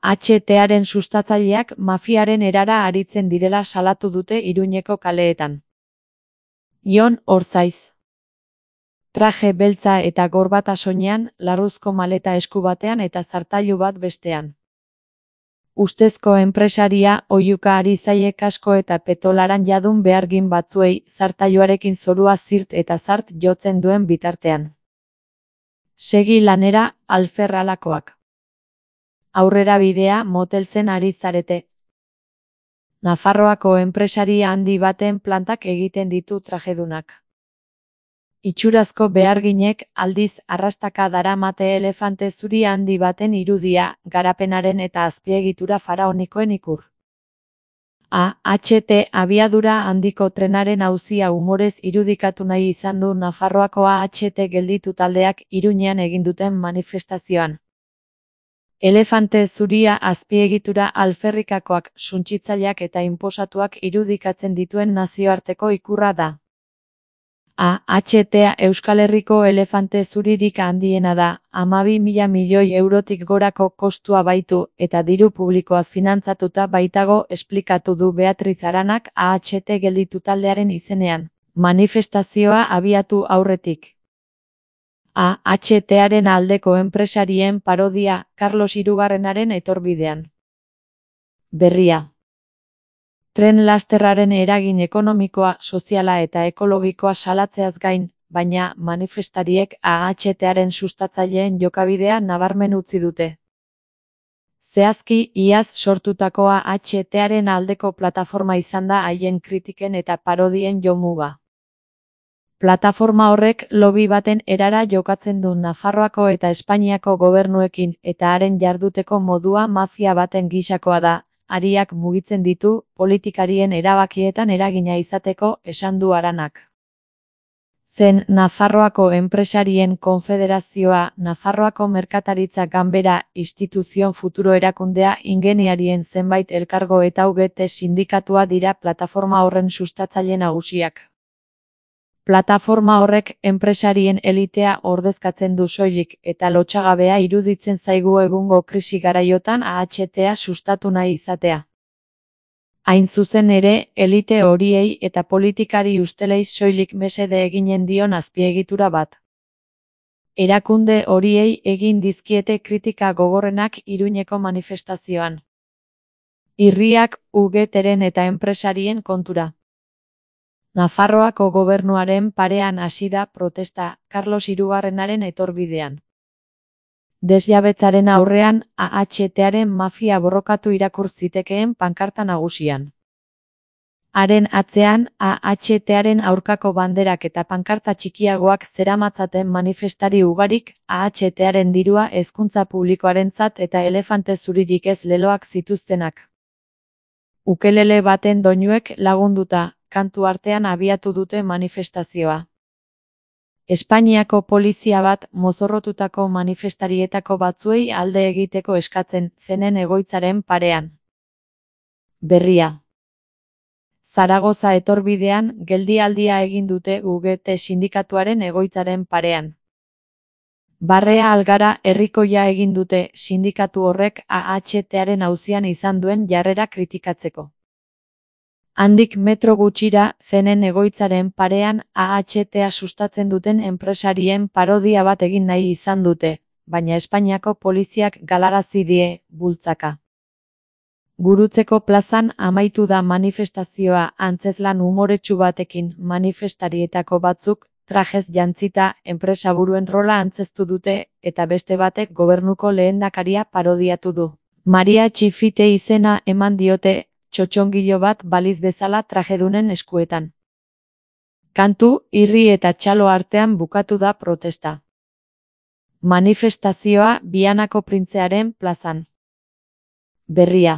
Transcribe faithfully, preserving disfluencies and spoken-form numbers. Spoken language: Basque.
H Taren sustatzaileak mafiaren erara aritzen direla salatu dute Iruñeko kaleetan. Jon Orzaiz. Traje beltza eta gorbata soinean, larruzko maleta esku batean eta zartailu bat bestean. Ustezko enpresaria oihuka ari zaie kasko eta petolaran jadun behargin batzuei zartailuarekin zorua zirt eta zart jotzen duen bitartean. Segi lanera, alferralakoak. Aurrera bidea moteltzen ari zarete. Nafarroako enpresaria handi baten plantak egiten ditu trajedunak. Itxurazko beharginek aldiz arrastaka daramate elefante zuri handi baten irudia, garapenaren eta azpiegitura faraonikoen ikur. A H T abiadura handiko trenaren auzia umorez irudikatu nahi izan du Nafarroako A H T gelditu taldeak Iruñean egin duten manifestazioan. Elefante zuria azpiegitura alferrikakoak, suntsitzaileak eta inposatuak irudikatzen dituen nazioarteko ikurra da. A H T Euskal Herriko elefante zuririk handiena da, hamabi mila milioi eurotik gorako kostua baitu eta diru publikoaz finantzatuta baitago esplikatu du Beatriz Aranak A H T gelditu taldearen izenean, manifestazioa abiatu aurretik. A H Taren aldeko enpresarien parodia, Karlos Hirugarrenaren etorbidean. Berria. Tren lasterraren eragin ekonomikoa, soziala eta ekologikoa salatzeaz gain, baina manifestariek A H Taren sustatzaileen jokabidea nabarmen utzi dute. Zehazki, iaz sortutako A H Taren aldeko plataforma izan da haien kritiken eta parodien jomuga. Plataforma horrek lobby baten erara jokatzen du Nafarroako eta Espainiako gobernuekin eta haren jarduteko modua mafia baten gisakoa da, hariak mugitzen ditu, politikarien erabakietan eragina izateko, esan du Aranak. Zen Nafarroako Enpresarien Konfederazioa, Nafarroako Merkataritza Ganbera, Instituzion Futuro erakundea ingeniarien zenbait elkargo eta U G T sindikatua dira plataforma horren sustatzaile nagusiak. Plataforma horrek enpresarien elitea ordezkatzen du soilik eta lotsagabea iruditzen zaigu egungo krisi garaiotan A H T sustatu nahi izatea. Hain zuzen ere, elite horiei eta politikari ustelei soilik mesede eginen dion azpiegitura bat. Erakunde horiei egin dizkiete kritika gogorrenak Iruñeko manifestazioan. Irriak, U G Tren eta enpresarien kontura. Nafarroako gobernuaren parean hasi da protesta, Karlos Hirugarrenaren etorbidean. Desjabetzaren aurrean, A H Taren mafia borrokatu irakur zitekeen pankarta nagusian. Haren atzean, A H Taren aurkako banderak eta pankarta txikiagoak zeramatzaten manifestari ugarik, A H Taren dirua hezkuntza publikoarentzat eta elefante zuririk ez leloak zituztenak. Ukelele baten doinuek lagunduta, kantu artean abiatu dute manifestazioa. Espainiako polizia bat mozorrotutako manifestarietako batzuei alde egiteko eskatzen zenen egoitzaren parean. Berria. Zaragoza etorbidean geldialdia egin dute U G T sindikatuaren egoitzaren parean. Barrea Algara herrikoia egin dute sindikatu horrek A H Taren auzian izan duen jarrera kritikatzeko. Handik metro gutxira, zenen egoitzaren parean A H T sustatzen duten enpresarien parodia bat egin nahi izan dute, baina Espainiako poliziak galarazi die, bultzaka. Gurutzeko plazan amaitu da manifestazioa antzezlan umoretsu batekin manifestarietako batzuk, trajez jantzita, enpresaburuen rola antzeztu dute, eta beste batek gobernuko lehendakaria parodiatu du. Maria Txifite izena eman diote, txotxongilo bat baliz bezala trajedunen eskuetan. Kantu, irri eta txalo artean bukatu da protesta. Manifestazioa Bianako Printzearen plazan. Berria.